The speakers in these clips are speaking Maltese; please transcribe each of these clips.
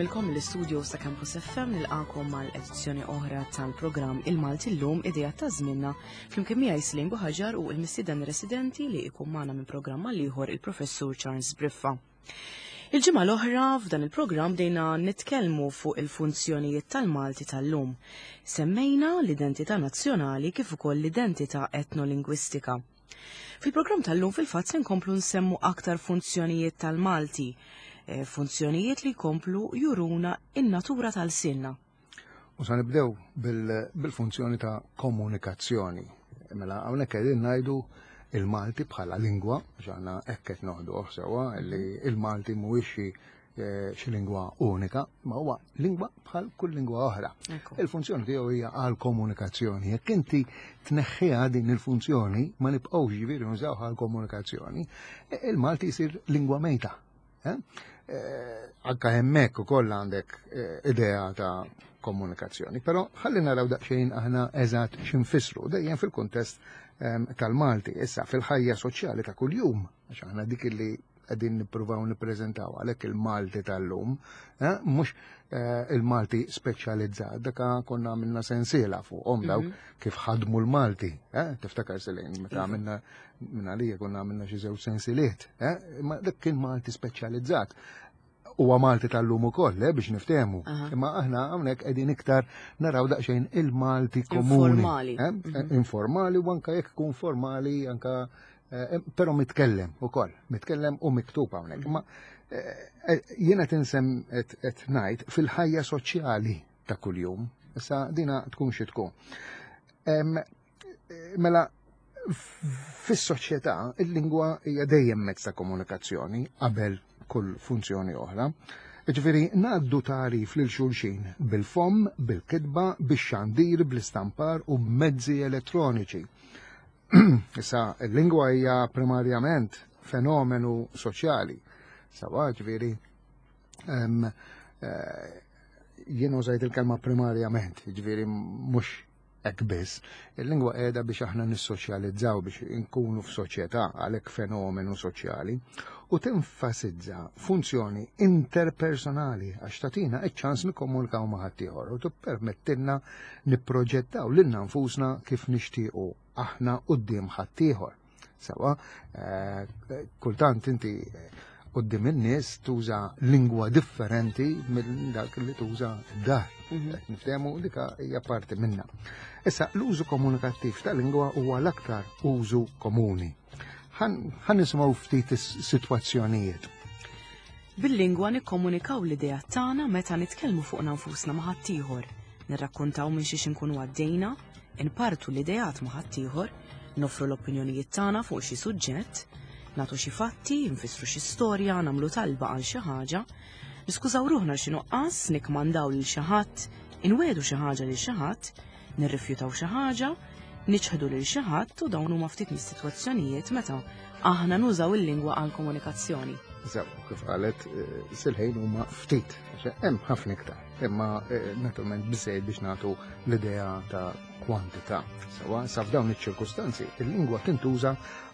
lilkom mill-istudio sa' Campus FM nilqakom mal-edizzjoni oħra tal-programm Il-Malti llum idea ta' żminna flimkien miegħi Slim Buħaġar u l-mistieden residenti li jkun magħna minn programm għal ieħor il-Professur Charles Briffa. Il-ġimgħa l-oħra f'dan il-programm bdejna nitkellmu fuq il-funzjonijiet tal-Malti tal-lum. Semmejna l-identità nazzjonali kif ukoll l-identità etnolingwistika. Fil-programm tal-lum fil-fatt se nkomplu nsemmu aktar funzjonijiet tal-Malti, eh, funzjonijiet li jkomplu juruna in-natura tal-sinna. U sa nibdew bil-funzjoni ta' komunikazzjoni. Mela hawnhekk qegħdin ngħidu il-Malti bħala lingwa, ġana hekk qed noħduh sewwa li il-Malti mhuwiex xi Eh, xi lingwa unika, ma huwa lingwa bħal kull lingwa oħra. Il-funzjoni tiegħu hija għal komunikazzjoni. Jekk inti tneħħiha din il-funzjoni, ma nibqgħux ġifieri nużawha għal komunikazzjoni, e, il-Malti jsir lingwa mejta. Eh? Eh, anka hemmhekk ukoll għandek idea ta' komunikazzjoni. Però ħalli naraw daqsxejn aħna eżatt x'infissru dejjem fil-kuntest ehm, tal-Malti, issa fil-ħajja soċjali ta' kuljum, għax aħna dik li qegħdin nippruvaw nippreżentaw għalhekk il-Malti tal-lum, eh, mhux eh, il-Malti speċjalizzat, daka konna għamilna sensiela fuqhom dawk mhm. kif ħadmu l-Malti, eh, tiftakar selejn meta iva. għamilna minn għalija konna għamilna xi żewġ sensiliet, ma dak kien Malti speċjalizzat huwa Malti tal-lum ukoll, eh, biex niftehmu. Imma aħna hawnhekk qegħdin iktar naraw daqsxejn il-Malti komuni. Informali. Eh? Mhm. Informali u anka jekk ikun formali anka eh, però mitkellem ukoll, mitkellem u miktub hawnhekk. Mhm. Ma jiena tinsem qed ngħid fil-ħajja soċjali ta' kuljum, issa dina tkun xi tkun. Mela, fis-soċjetà il-lingwa hija dejjem mezz ta' komunikazzjoni qabel kull funzjoni oħra. Ġifieri ngħaddu tagħrif lil xulxin bil-fomm, bil-kitba, bix-xandir, bl-istampar u b'mezzi elettroniċi. Issa, il-lingwa hija primarjament fenomenu soċjali. Sawa, ġifieri, eh, jien użajt il-kelma primarjament, ġifieri mhux hekk biss. Il-lingwa qiegħda biex aħna nissoċjalizzaw biex inkunu f'soċjetà għalhekk fenomenu soċjali u tenfasizza funzjoni interpersonali għax tagħtina iċ-ċans nikkomunikaw ma' ħaddieħor u tippermettilna nipproġettaw lilna nfusna kif nixtiequ aħna quddiem ħaddieħor. Sawa, eh, kultant inti eh, qoddim in-nies tuża lingwa differenti minn dak li tuża d-dar. Mhm. Niftehmu dika hija parti minna. Issa l-użu komunikattiv ta' lingwa huwa l-aktar użu komuni. Ħan nisimgħu ftit is-sitwazzjonijiet. Bil-lingwa nikkomunikaw l-idea tagħna meta nitkellmu fuqna nfusna ma' ħaddieħor, nirrakkuntaw minn xiex inkunu għaddejna, inpartu l-ideat ma' ħaddieħor, noffru l-opinjonijiet tagħna fuq xi suġġett, nagħtu xi fatti, nfissru xi storja, nagħmlu talba għal xi ħaġa, niskużaw ruħna xi nuqqas, nikkmandaw lil xi ħadd, inwiegħdu xi ħaġa lil xi ħadd, nirrifjutaw xi ħaġa, niċħdu lil xi ħadd u dawn huma ftit mis-sitwazzjonijiet meta aħna nużaw il-lingwa għal komunikazzjoni. Sew, kif qalet eh, silħejn huma ftit, għax hemm ħafna iktar, imma eh, naturalment biżejjed biex nagħtu l-idea ta' kwantità. Sewa, sa f'dawn iċ-ċirkustanzi, il-lingwa tintuża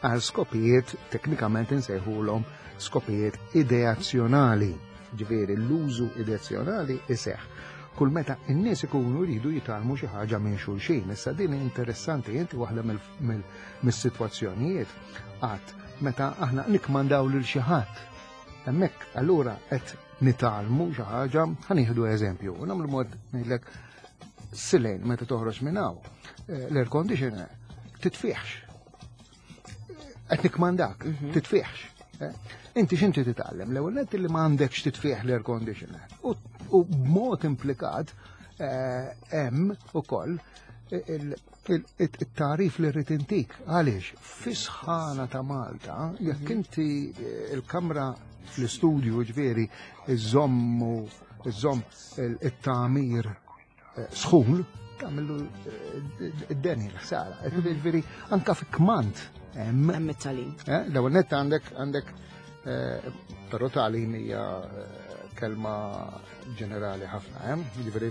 għal skopijiet teknikament insejħulhom skopijiet ideazzjonali. Ġifieri l-użu ideazzjonali iseħħ kull meta n-nies ikunu jridu jitgħallmu xi ħaġa minn xulxin. Issa din interessanti inti waħda mill-sitwazzjonijiet għad meta aħna nikmandaw lil xi ħadd. Hemmhekk allura qed nitgħallmu xi ħaġa, ħanieħdu eżempju, u nagħmlu mod ngħidlek silejn meta toħroġ minn hawn, eh, l-air conditioner titfiħx. Qed nikmandak, mhm. titfiħx. Eh? Inti x'inti titgħallem? L-ewwel nett li ma għandekx titfieħ l-air conditioner. U b'mod implikat eh, hemm ukoll it-tarif li rrid intik. Għaliex, fis-sħana ta' Malta, jekk mhm. inti eh, il-kamra fl-istudju ġifieri iżommu iżomm it-tagħmir eh, sħun, tagħmillu eh, id-deni l-ħsara. Mhm. Ġifieri anka fi kmand hemm. Hemm it-talim. L-ewwel nett għandek għandek però talim hija kelma ġenerali ħafna, ġifieri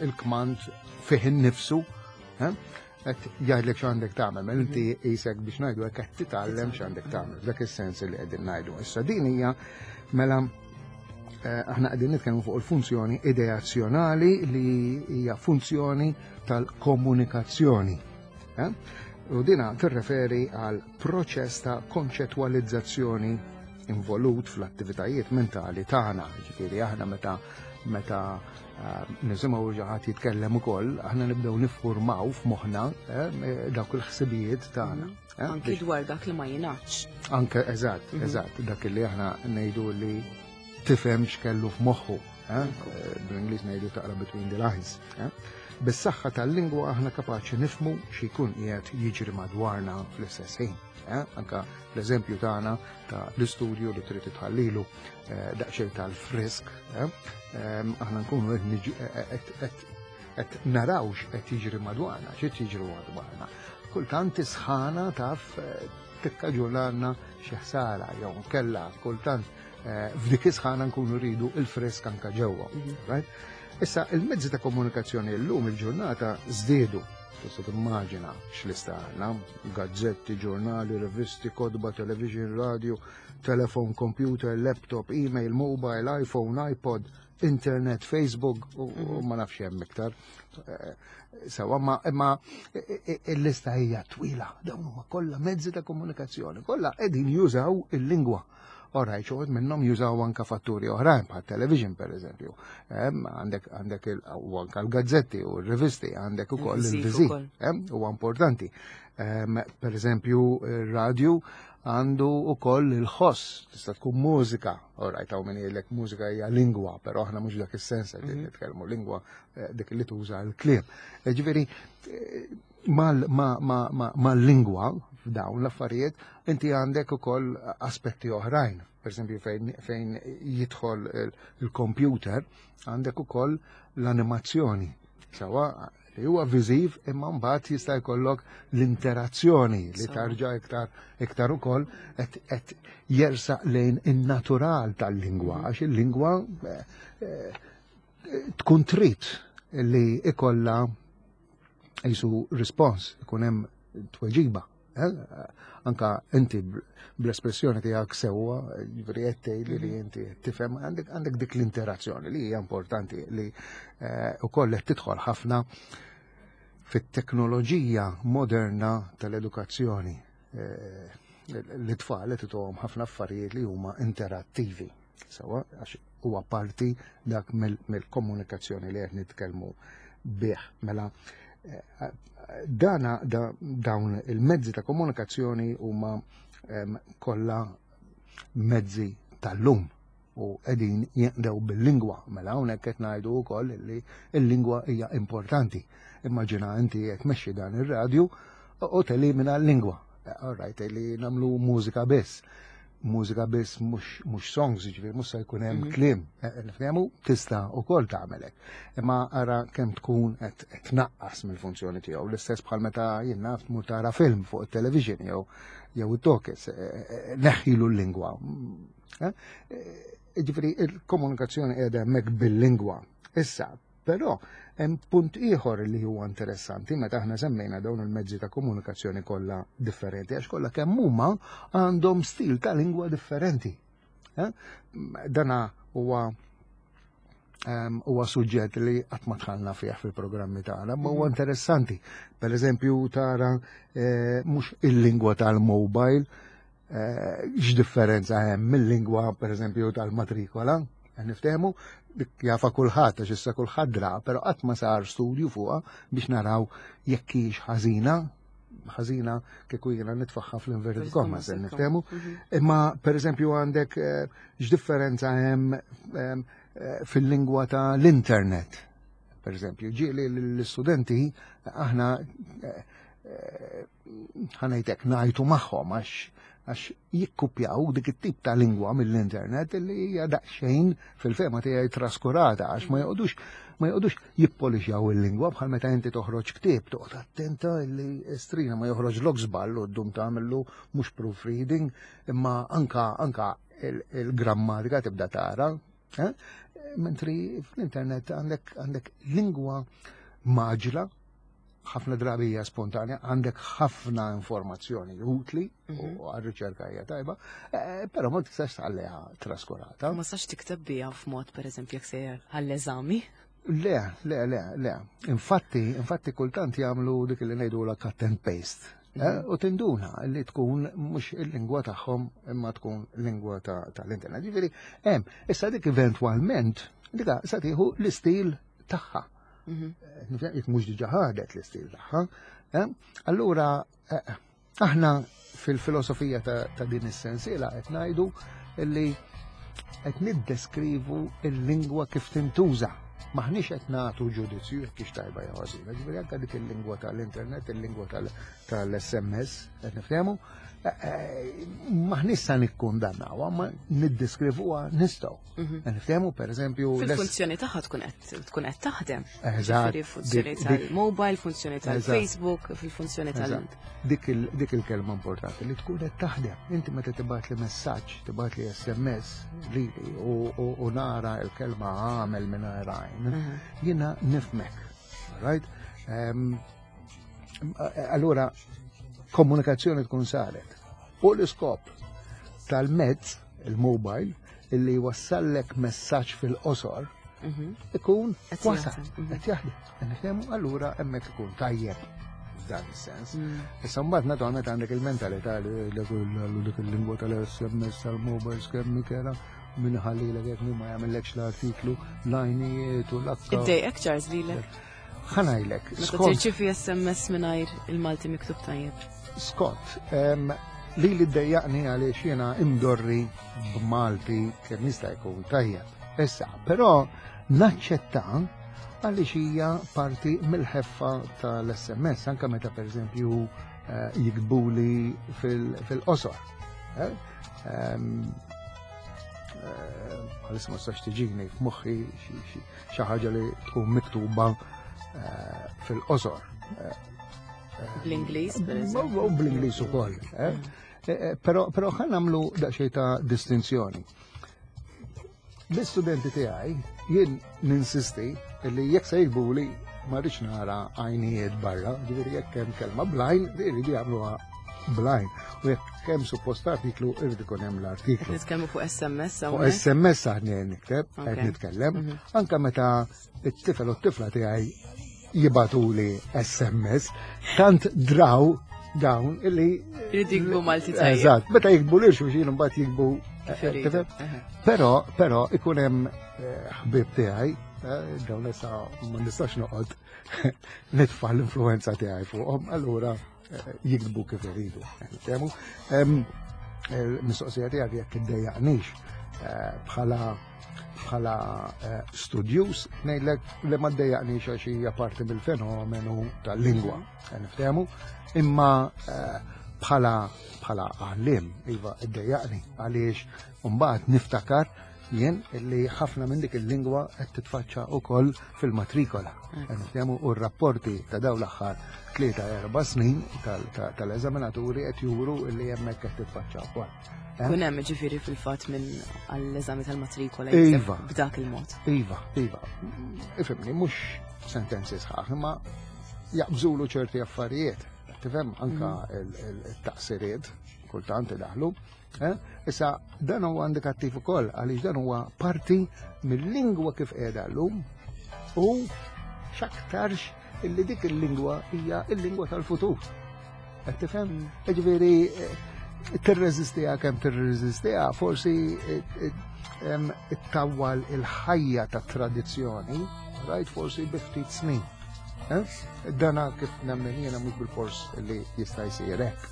il-kmand fih innifsu, qed jgħidlek x'għandek tagħmel, mela inti mhm. qisek biex ngħidu hekk qed titgħallem x'għandek tagħmel, f'dak is-sens li qegħdin ngħidu. Issa din hija mela Aħna qegħdin nitkellmu fuq il-funzjoni ideazzjonali li hija funzjoni tal-komunikazzjoni. Eh? U dina tirreferi għal proċess ta' konċettwalizzazzjoni involut fl-attivitajiet mentali tagħna. Ġifieri aħna meta meta eh, nisimgħu xi ħadd jitkellem ukoll, aħna nibdew niffurmaw f'moħħna eh, dawk il-ħsibijiet tagħna. Eh, Anki dwar dak li ma jingħadx. Anke eżatt, mhm. eżatt, dak li aħna ngħidu li tifhem x'kellu f'moħħu. Eh, bl-Ingliż ngħidu taqra between the lines. Eh. Bis-saħħa tal-lingwa aħna kapaċi nifmu xi jkun qiegħed jiġri madwarna fl-istess ħin. Anka l-eżempju tagħna ta' l-istudju li trid tħallilu daqsxejn tal-frisk, aħna nkunu qed naraw x'qed jiġri madwarna, x'qed jiġri madwarna. Kultant is-sħana taf eh, tikkaġunalna xi ħsara jew kella kultant eh, f'dik is-sħana nkunu rridu il-frisk anka ġewwa. Mhm. Issa il-mezzi ta' komunikazzjoni llum il-ġurnata żdiedu. Tista' timmaġina x'lista għandna, gazzetti, ġurnali, rivisti, kotba, television, radio, telefon, computer, laptop, email, mobile, iPhone, iPod, internet, Facebook u mhm. ma nafx hemm iktar. Eh, sewa, ma imma il-lista hija twila, dawn huma kollha mezzi ta' komunikazzjoni, kollha qegħdin jużaw il-lingwa. Oraj, xoħod minnom jużaw anka fatturi oħrajn, bħal television per eżempju. Għandek għandek u anka l-gazzetti u r-rivisti, għandek ukoll il-viżi. Huwa importanti. Per eżempju, il-radju għandu ukoll il-ħoss, tista' tkun mużika. Orajt, hawn min jgħidlek mużika hija lingwa, però aħna mhux dak is-sens qed mhm. nitkellmu lingwa eh, dik li tuża l-kliem. Eh, ġifieri eh, mal-lingwa f'dawn l-affarijiet inti għandek ukoll aspetti oħrajn. Per esempio fejn jidħol il-computer għandek ukoll l-animazzjoni. Sawa li huwa viżiv imma mbagħad jista' jkollok l-interazzjoni li tarġa' iktar iktar ukoll qed jersaq lejn in-natural tal-lingwa għax il-lingwa eh, eh, tkun trid li ikollha jisu rispons, ikun hemm tweġiba. Eh, anka inti bl-espressjoni tiegħek sewwa, ġifieri qed tgħidli li mhm. inti tifhem għandek għandek dik l-interazzjoni li hija importanti li eh, ukoll qed tidħol ħafna fit-teknoloġija moderna tal-edukazzjoni. Eh, l-tfal qed ituhom ħafna affarijiet li huma interattivi. Sewa, għax huwa parti dak mill-komunikazzjoni li qed nitkellmu bih. Mela, eh, dana da, dawn il-mezzi ta' komunikazzjoni huma kollha mezzi tal-lum u qegħdin jinqdew bil-lingwa. Mela hawnhekk qed ngħidu wkoll li l-lingwa hija importanti. Immaġina inti qed tmexxi dan ir-radju u telimina l-lingwa. All right, li nagħmlu mużika biss mużika biss mhux songs, ġifieri mhux se jkun hemm mhm. kliem, eh, eh, nifhemu tista' ukoll tagħmelek. Imma ara kemm tkun qed tnaqqas mill-funzjoni tiegħu. L-istess bħal meta jien naf tmur tara film fuq it-television jew jew it-tokes, eh, neħħilu l-lingwa. Ġifieri il-komunikazzjoni qiegħda hemmhekk bil-lingwa. Issa, Però hemm punt ieħor li huwa interessanti meta aħna semmejna dawn il-mezzi ta' komunikazzjoni kollha differenti għax kollha kemm huma għandhom stil ta' lingwa differenti. Eh? Dana huwa ehm, huwa suġġett li qatt ma tħallna fih fil-programmi tagħna, ma huwa mhm. interessanti. Per eżempju tara eh, mhux il-lingwa tal-mobile, eh, x'differenza hemm mill-lingwa pereżempju tal-matrikola, niftehmu dik jafa kulħadd għax issa kulħadd dra, però qatt ma sar studju fuqha biex naraw jekk hix ħażina ħażina kieku jiena nitfaħħa fl-inverted commas, niftehmu. Mhm. Imma pereżempju għandek eh, x'differenza hemm eh, fil-lingwa ta' l-internet. Per eżempju, ġieli l-istudenti aħna ħanajtek ngħajtu magħhom għax għax jikkupjaw dik it-tip ta' lingwa mill-internet li hija daqsxejn fil-fema tiegħi traskurata għax ma joqgħodux ma joqgħodux jippolixjaw il-lingwa bħal meta inti toħroġ ktieb toqgħod attenta li strina ma joħroġ lok żball u ddum tagħmlu mhux proofreading imma anka anka il-grammatika tibda tara. Eh? Mentri fl-internet għandek għandek lingwa maġla. ħafna drabi hija spontanja, għandek ħafna informazzjoni utli u mhm. għar-riċerka hija tajba, eh, però ma tistax tħalliha traskurata. Ma tistax tikteb biha f'mod pereżempju jekk sejjer għall-eżami. Le, le, le, le. Infatti, infatti kultant jagħmlu dik li ngħidu la cut and paste. Eh, mhm. U tinduna li tkun mhux il-lingwa tagħhom imma tkun lingwa tal-internet. Ġifieri, hemm, issa dik eventwalment dika sa tieħu l-istil tagħha. Mhm. Eh, jekk mhux diġà ħadet l-istil tagħha. Eh, allura eh, aħna fil-filosofija ta' din is-sensiela qed ngħidu li qed niddeskrivu l-lingwa kif tintuża. Maħniex qed nagħtu ġudizzju jekk hix tajba jew ħażina. Ġifieri anke dik il-lingwa tal-internet, il-lingwa tal-SMS, qed niftehmu, eh, eh, maħniex sa nikkundannawha, ma niddeskrivuha nistgħu. Mhm. Niftehmu pereżempju. Fil-funzjoni tagħha tkun qed tkun qed taħdem. Eżatt. Funzjoni tal-mobile, funzjoni tal-Facebook, fil-funzjoni tal- Dik il-kelma importanti li tkun qed taħdem. Inti meta tibgħat li messaġġ, tibgħat li SMS lili u nara l-kelma għamel mingħajr għajn, mhm. jiena nifmek. Right? Ehm, allura komunikazzjoni tkun saret. U l-iskop tal-mezz, il-mobile, illi wassallek messaġġ fil-qosor, mhm. ikun wasal, mhm. qed jaħdem. Nifhemu allura hemmhekk ikun tajjeb f'dan is-sens. Mm. Issa mbagħad naturalment għandek il-mentalità li dik il-lingwa tal-SMS tal-mobiles kemm kera minn ħallilek jekk ma jagħmellekx l-artiklu l-għajnijiet u l-akka. Iddejqek Charles lilek. Ħanajlek. Meta tirċifi SMS mingħajr il-Malti miktub tajjeb. Scott, li li ddejjaqni għaliex jiena imdorri b'Malti kemm jista' jkun tajjeb. Issa, però naċċetta għaliex hija parti mill-ħeffa tal-SMS, anke meta pereżempju eh, jikbuli fil-qosor. Eh? Ehm, eh, għalis ma stax tiġini f'moħħi xi ħaġa li tkun miktuba eh, fil-qosor. Eh, Bl-Ingliż, per eżempju. Bl-Ingliż ukoll. Eh? Però però ħan nagħmlu daqsxejn ta' distinzjoni. L-istudenti tiegħi jien ninsisti li jekk se jikbuli ma rridx nara għajnijiet barra, ġifieri jekk hemm kelma blajn, jridu jagħmluha blajn. U jekk hemm suppost artiklu, irid ikun hemm l-artiklu. Nitkellmu fuq SMS Fuq SMS aħna nikteb, qed nitkellem. Mhm. Anka meta it-tifel u t-tifla tiegħi jibatuli SMS, tant draw dawn illi. Jridu jikbu Malti tajjeb. Eżatt, meta jikbu lil xulxin imbagħad jikbu. Eh, però, però ikun hemm eh, ħbieb tiegħi, eh, dawn issa ma nistax noqgħod nitfa' l-influenza tiegħi fuqhom, allura jiktbu kif iridu. Temu, mistoqsija tiegħek jekk iddejjaqnix eh, bħala bħala eh, studjus ngħidlek li ma ddejjaqnix għax hija parti mill-fenomenu tal-lingwa. Eh, niftehmu, imma bħala bħala għallim iva ddejjaqni għaliex mbagħad niftakar jien li ħafna minn dik il-lingwa qed titfaċċa wkoll fil-matrikola. Niftehmu u r-rapporti ta' dawn l-aħħar 3-4 snin tal-eżaminaturi qed juru li hemmhekk qed titfaċċa wkoll. Eh? Kun hemm ġifieri fil-fatt minn għall-eżami tal-matrikola iva. b'dak il-mod. Iva, iva. Ifhimni, mhux sentenzi sħaħ, imma jaqbżulu ċerti affarijiet. Tifhem anka mm. il-taqsiriet kultant idaħlu. Eh? Issa, dan huwa indikattiv ukoll għaliex dan huwa parti mill-lingwa kif qiegħda llum u x'aktarx illi dik il-lingwa hija il-lingwa tal-futur. Qed tifhem? Mm. Ġifieri eh, tirreżistiha kemm tirreżistiha, forsi eh, ittawwal il-ħajja ta' tradizzjoni, rajt forsi bi ftit snin. Dana kif nemmen jiena mhux bil-fors li jista' jsir hekk.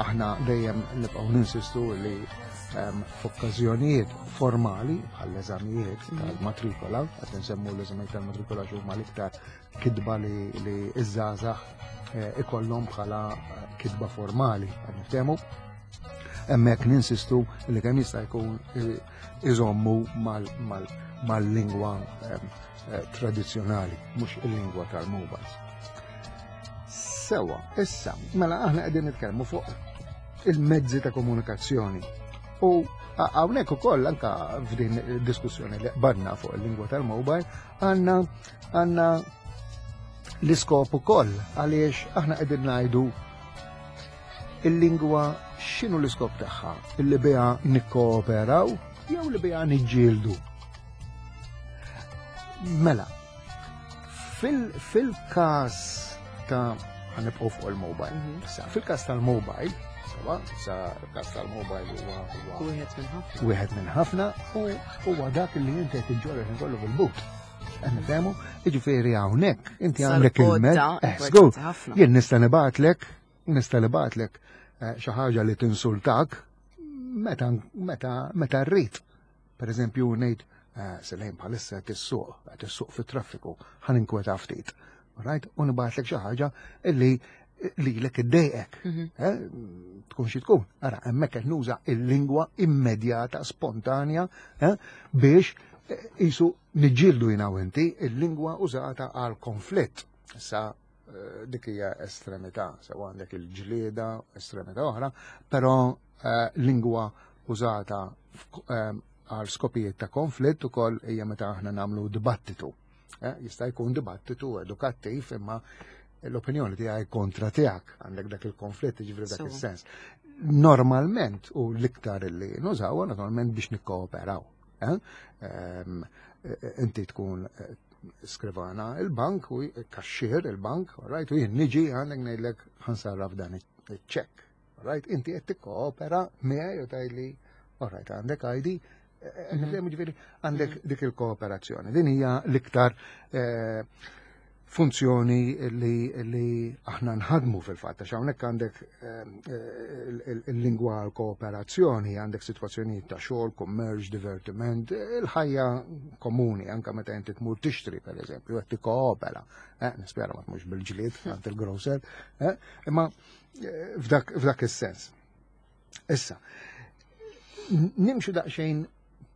Aħna dejjem nibqgħu ninsistu li f'okkażjonijiet formali bħall-eżamijiet mm. tal-matrikola, qed nsemmu l-eżamijiet tal-matrikola x'huma l-iktar kitba li iż-żgħażagħ eh, ikollhom bħala eh, kitba formali, qed niftehmu. Hemmhekk ninsistu li kemm jista' jkun eh, iżommu mal-lingwa tradizzjonali, mhux il-lingwa tal-mobiles. Sewa, issa, mela aħna qegħdin nitkellmu fuq il-mezzi ta' komunikazzjoni. U hawnhekk ukoll anka f'din diskussjoni li qbadna fuq il-lingwa tal-mobile għandna għandna L-iskop ukoll għaliex aħna qegħdin ngħidu il-lingwa x'inhu l-iskop tagħha? Illi biha nikkooperaw jew li biha niġġieldu? Mela, fil-każ ta' ħanibqgħu fuq il-mobile. Sa fil-każ tal-mobile, sewa, sa każ tal-mobile huwa wieħed minn ħafna. Wieħed minn ħafna u huwa dak li inti qed iġġorr ħin kollu fil-but. Qed nifhemu, jiġifieri hawnhekk inti għandek il-mezz. Eh, jien nista' nibgħatlek, nista' nibgħatlek eh, xi ħaġa li tinsultak meta meta meta rrid. Per eżempju ngħid eh, Selejn bħalissa qed issuq, qed issuq fit-traffiku, ħa ninkweta ftit. Right? U nibgħatlek xi ħaġa illi lilek iddejqek. Mhm. Eh, tkun xi tkun. Ara, hemmhekk qed nuża il-lingwa immedjata, spontanja, eh, biex isu niġġieldu jiena u inti il-lingwa użata għal konflitt. Issa eh, dik hija estremità, sew għandek il-ġlieda, estremità oħra, però eh, lingwa użata eh, għal skopijiet ta' konflitt ukoll hija meta aħna nagħmlu dibattitu. Jista' jkun dibattitu edukattiv imma l-opinjoni tiegħi kontra tiegħek għandek dak il-konflitt ġifri dak is-sens. Normalment u l-iktar li nużaw naturalment biex nikkooperaw. Eh? Ehm, eh, inti tkun eh, skrivana il-bank u kaxxier il-bank, right, u jien niġi għandek ngħidlek ħansarraf dan iċ-ċekk. Right, inti qed tikkoopera miegħi u tgħidli, all right, għandek ID, mhm. ġifieri għandek mhm. dik il-kooperazzjoni. Din hija l-iktar funzjoni li, li aħna nħadmu fil-fatt, għax hawnhekk għandek eh, il-lingwa kooperazzjoni, għandek sitwazzjonijiet ta' xogħol, kummerċ, divertiment, il-ħajja komuni, anke meta inti tmur tixtri pereżempju, qed tikkoopera. Eh, nispera ma tmux bil-ġlied għand il-grocer, eh, imma f'dak, f'dak is-sens. Issa, nimxu daqsxejn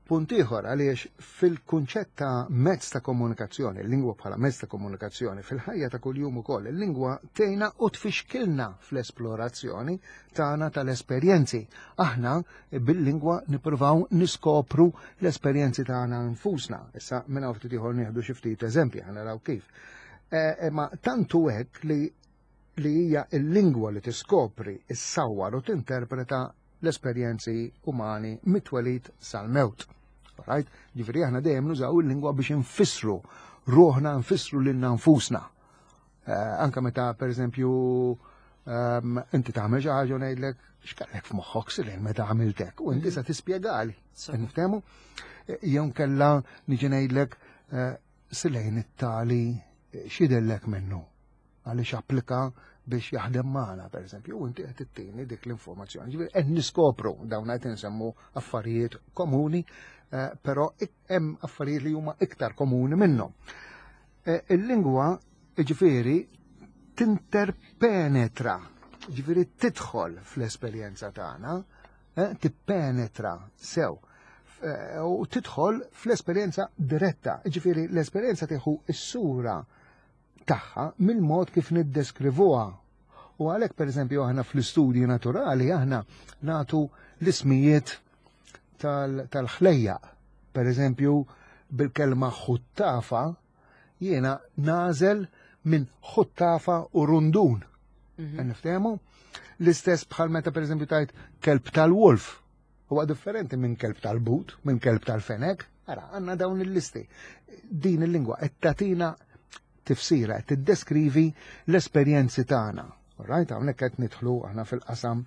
punt ieħor għaliex fil-kunċett ta' mezz ta' komunikazzjoni, il-lingwa bħala mezz ta' komunikazzjoni, fil-ħajja ta' kuljum ukoll, il-lingwa tgħinna u tfixkilna fl-esplorazzjoni tagħna tal-esperjenzi. Aħna bil-lingwa nippruvaw niskopru l-esperjenzi tagħna nfusna. Issa minn hawn ftit ieħor nieħdu xi ftit eżempji ħa naraw kif. E, ma tantu hekk li li hija l-lingwa li tiskopri, issawwar u tinterpreta l-esperjenzi umani mit-twelid sal-mewt. Right? Ġifieri aħna dejjem nużaw il-lingwa biex infissru ruħna, nfissru lilna nfusna. Eh, anka meta pereżempju ehm, inti tagħmel xi ħaġa u ngħidlek x'kellek f'moħħok silin meta għamiltek u inti mhm. se tispjegali. Niftehmu? Eh, jew kella niġi ngħidlek eh, silejn it-tali x'idellek minnu għaliex applika biex jaħdem magħna, pereżempju, u inti qed ittini dik l-informazzjoni. Ġifieri qed niskopru dawn qed insemmu affarijiet komuni, eh, però hemm affarijiet li huma iktar komuni minnhom. Eh, il-lingwa ġifieri tinterpenetra, ġifieri tidħol fl-esperjenza tagħna, eh, tippenetra sew u tidħol fl-esperjenza diretta, ġifieri l-esperjenza tieħu s-sura tagħha mill-mod kif niddeskrivuha. U għalhekk pereżempju aħna fl-istudji naturali aħna nagħtu l-ismijiet tal-ħlejjaq. Per eżempju, bil-kelma ħuttafa jiena nażel minn ħuttafa u rundun. Mm Niftehmu? L-istess bħal meta pereżempju tajt kelb tal-wolf. Huwa differenti minn kelb tal-but, minn kelb tal-fenek. Ara, għandna dawn il-listi. Din il-lingwa qed tagħtina tifsira, qed tiddeskrivi l-esperjenzi tagħna. Right, hawnhekk qed nidħlu aħna fil-qasam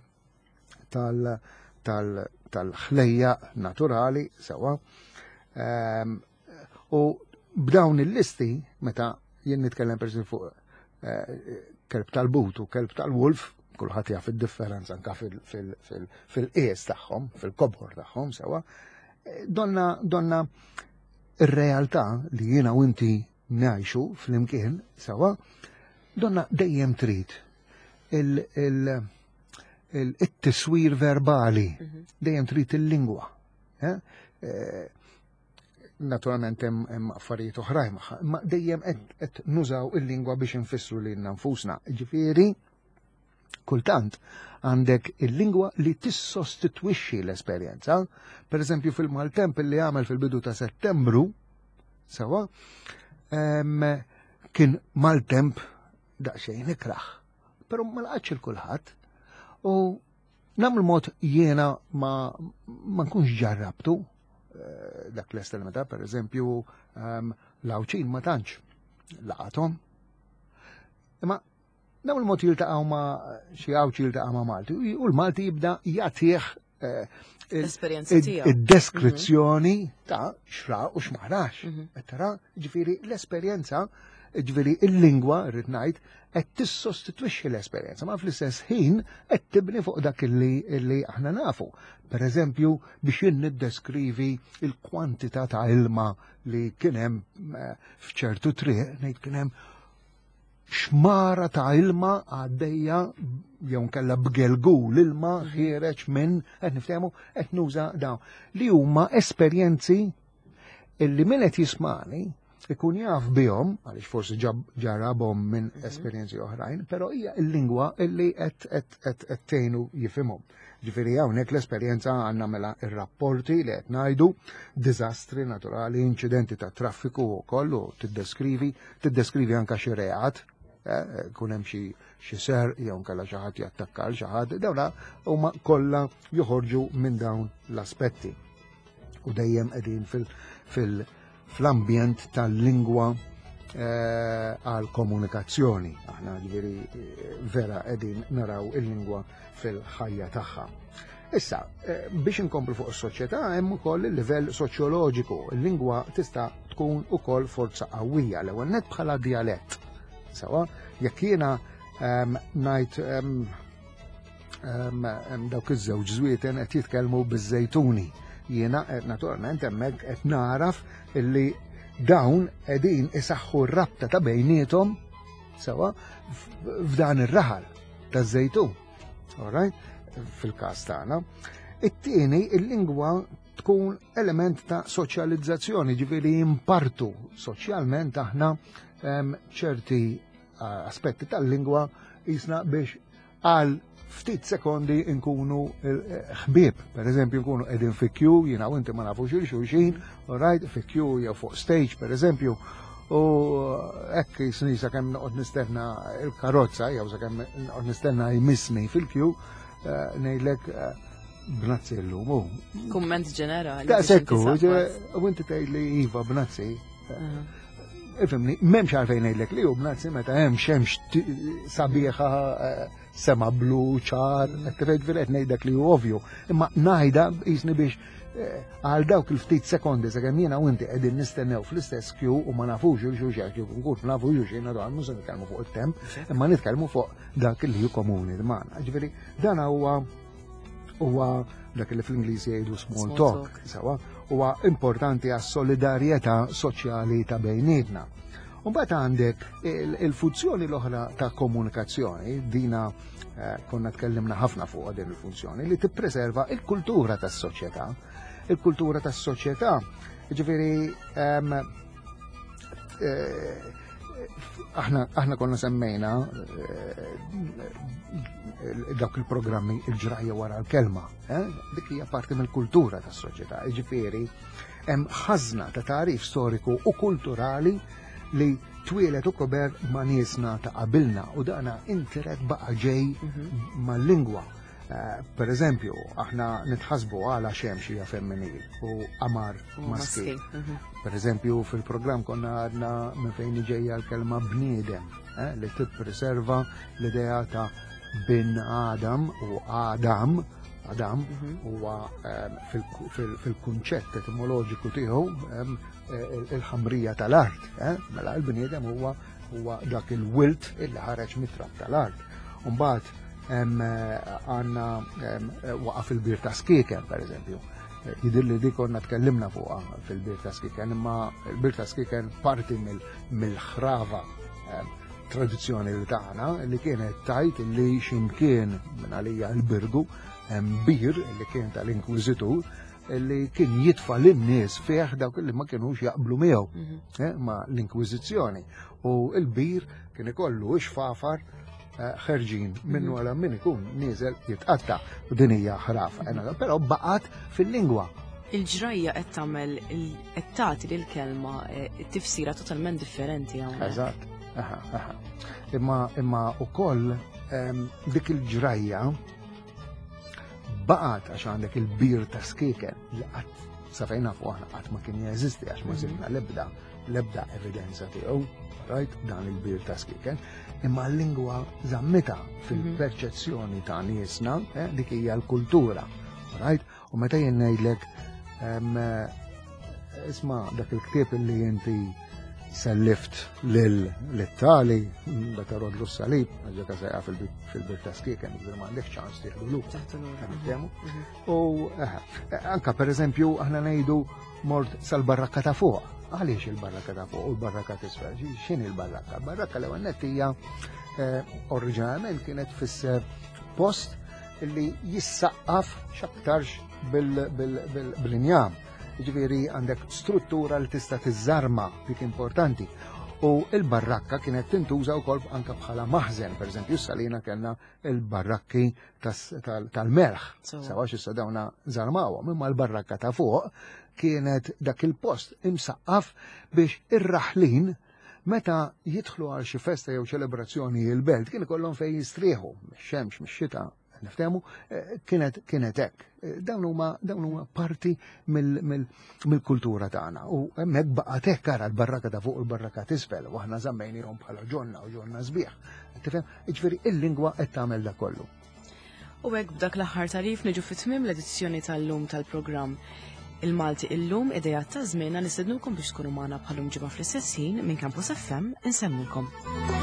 tal-ħlejja naturali sewa. Ehm, u b'dawn il-listi, meta jien nitkellem per fuq eh, kelb tal-but u kelb tal-wolf, kulħadd jaf id-differenza anka fil-qies tagħhom, fil-kobor tagħhom sewa, eh, donna donna ir-realtà li jiena u inti ngħixu flimkien sewa, donna dejjem trid il-tiswir verbali, mhm. dejjem trid il-lingwa. Eh? Eh, naturalment hemm affarijiet oħrajn magħha, imma dejjem qed nużaw il-lingwa biex infissru lilna nfusna. Ġifieri, kultant għandek il-lingwa li tissostitwixxi l-esperjenza. Per eżempju fil-maltemp li għamel fil-bidu ta' Settembru, sewa, Kien maltemp daqsxejn ikrah, però ma laqatx il kulħadd. U nagħmlu mod jiena ma, ma nkunx ġarrabtu eh, dak l-estremità, per eżempju, ehm, l-Għawdxin ma tantx laqathom. Imma Dawn il-mod jiltaqgħu ma' xi Għawdxi jiltaqa' ma' Malti u l-Malti jibda jagħtih eh, l-esperjenza tiegħu. Id-deskrizzjoni mhm. ta' xra u x'marax. Mhm. Tara, ġifieri l-esperjenza, ġifieri il-lingwa rrid ngħid, qed tissostitwixxi l-esperjenza, ma fl-istess ħin qed tibni fuq dak li aħna nafu. Per eżempju, biex jien niddeskrivi il-kwantità ta' ilma li kien hemm eh, f'ċertu triq, ngħid kien hemm xmara ta' ilma għaddejja jew nkella b'gelgul ilma mhm. ħiereġ minn qed niftehmu qed nuża dawn li huma esperjenzi illi min qed jismani ikun jaf bihom għaliex forsi ġarabhom minn mhm. esperjenzi oħrajn, però hija l-lingwa illi qed qed tgħinu jifhimhom. Ġifieri hawnhekk l-esperjenza għandna mela ir-rapporti li qed ngħidu, diżastri naturali, inċidenti ta' traffiku wkoll u tiddeskrivi, tiddeskrivi anke xi reat, eh, kun hemm xi xi ser jew nkella xi ħadd jattakka l xi ħadd, dawna huma kollha joħorġu minn dawn l-aspetti. U dejjem qegħdin fil, fil fl-ambjent tal-lingwa eh, għal komunikazzjoni. Aħna ġifieri eh, vera qegħdin naraw il-lingwa fil-ħajja tagħha. Issa, eh, biex inkomplu fuq is-soċjetà hemm ukoll il-livell soċjoloġiku. Il-lingwa tista' tkun ukoll forza qawwija l-ewwel net bħala dialett. Sawa, jekk jiena ehm, ngħid ehm, ehm, dawk iż-żewġ żwieten qed jitkellmu biż-żejtuni. Jiena eh, naturalment hemmhekk qed naraf illi dawn qegħdin isaħħu r-rabta ta' bejniethom sewa f'dan ir-raħal taż-żejtun. All Fil-każ tagħna. It-tieni il-lingwa tkun element ta' soċjalizzazzjoni, ġifieri impartu soċjalment aħna ċerti eh, aspetti tal-lingwa jisna biex għal ftit sekondi nkunu eh, ħbieb. Per eżempju, nkunu qegħdin fi kju, jiena u inti ma nafux il-xulxin, right, fi kju jew fuq stage, per eżempju, u hekk jisni sakemm noqgħod nistenna il-karozza jew sakemm noqgħod nistenna jmissni fil-kju, eh, ngħidlek eh, bnazzi llum. Kumment ġenerali. Ta' sekku, u inti tgħid li iva bnazzi. Ifimni, memx għalfejn ngħidlek li hu bnazzi meta hemm xemx sabiħa eh, sema blu ċar, qed qed ngħidlek li hu ovvju. Imma ngħidha jisni biex eh, għal dawk il-ftit sekondi sakemm jiena u inti qegħdin nistennew fl-istess kju u ma nafux il xulxin kif nkun nafu xulxin naturalment mhux se nitkellmu fuq it-temp, imma nitkellmu fuq dak li hu komuni magħna. Ġifieri dan huwa huwa dak li fl-Ingliż jgħidu small talk, sawa, huwa importanti għas solidarjetà soċjali ta' bejnietna. Mbagħad għandek il-funzjoni l-oħra ta' komunikazzjoni, dina eh, konna tkellimna ħafna fuq din il-funzjoni, li tippreserva il-kultura tas-soċjetà. Il-kultura tas-soċjetà, ġifieri ehm, eh, aħna aħna konna semmejna eh, dawk il-programmi il-ġrajja wara l-kelma. Eh? Dik hija parti mill-kultura tas-soċjetà. Jiġifieri hemm ħażna ta' tagħrif storiku u kulturali li twielet u kober ma' niesna ta' qabilna u dana interet baqa' ġej mhm. mal-lingwa. Eh, per eżempju, aħna nitħasbu għala xemx hija femminil u qamar maskil. Mhm. Per eżempju, fil-programm konna għadna minn fejn ġejja l-kelma bniedem, eh, li tippreserva l-idea ta' bin Adam u Adam, Adam mhm. huwa ehm, fil-kunċett etimoloġiku tiegħu ehm, eh, il-ħamrija tal-art, mela l-bniedem huwa huwa dak il-wilt illi ħareġ mit-trab tal-art. Umbagħad għanna waqa fil-bir ta' skiken, per eżempju. Jidir li dik konna tkellimna fuqha fil-bir ta' skiken, imma il-bir ta' skiken parti mill-ħrava tradizzjoni li tagħna li kienet tajt li ximkien minn għalija l-birgu hemm bir li kien tal-inkwiżitur li kien jitfa lin-nies fih dawk li ma kienux jaqblu miegħu mhm. eh, ma l-inkwiżizzjoni. U l-bir kien ikollu ixfafar eh, ħerġin minnu mhm. għala min ikun nieżel jitqatta u din hija ħrafa. Eh, però baqgħet fil-lingwa. Il-ġrajja qed tagħmel qed tagħti lill-kelma tifsira totalment differenti hawnhekk. Eżatt. Aha, aha. Imma imma ukoll dik il-ġrajja baqgħet għax għandek il-bir ta' skieken li qatt sa fejn nafu aħna qatt ma kien jeżisti għax ma mhm. sibna l-ebda l-ebda evidenza tiegħu, right, dan il-bir ta' skieken, imma l-lingwa żammita fil-perċezzjoni ta' niesna, eh, dik hija l-kultura, right? U meta jien ngħidlek isma' dak il-ktieb li inti sellift lil tali meta rodlu s-salib, ġeka sejqa fil-bir ta' skieken, ġifieri m'għandek ċans tieħdu lura. Mhm. U eh, anka per eżempju aħna ngħidu mort sal-barrakka ta' fuq. Għaliex il-barrakka ta' fuq u l-barrakka t'isfel? X'inhi l-barrakka? Barrakka l-ewwel nett hija eh, oriġinalment kienet tfisser post li jissaqqaf x'aktarx bil-injam. Ġifieri għandek struttura li tista' tiżżarma dik importanti. U il-barrakka kienet tintuża wkoll anke bħala maħżen, pereżempju s-salina kellna il-barrakki tal-melħ. Sawa xissa dawna żarmawhom, imma l-barrakka ta' fuq kienet dak il-post imsaqqaf biex ir-raħlin meta jidħlu għal xi festa jew ċelebrazzjoni il-belt kien ikollhom fejn jistrieħu, mix-xemx, mix-xita, niftehmu, eh, kienet kienet hekk. Eh, dawn huma dawn huma parti mill-kultura tagħna u hemmhekk baqgħet hekk ara l-barraka ta' fuq u l-barraka t'isfel u aħna żammejnihom bħala ġonna u ġonna sbieħ. Tifhem? Jiġifieri il-lingwa qed tagħmel dak kollu. U hekk b'dak l-aħħar tarif niġu fi tmiem l-edizzjoni tal-lum tal-programm. Il-Malti illum idejat ta' żmienna nistednukom biex tkunu magħna bħalum ġimgħa fl-istess ħin minn Campus FM insemmilkom.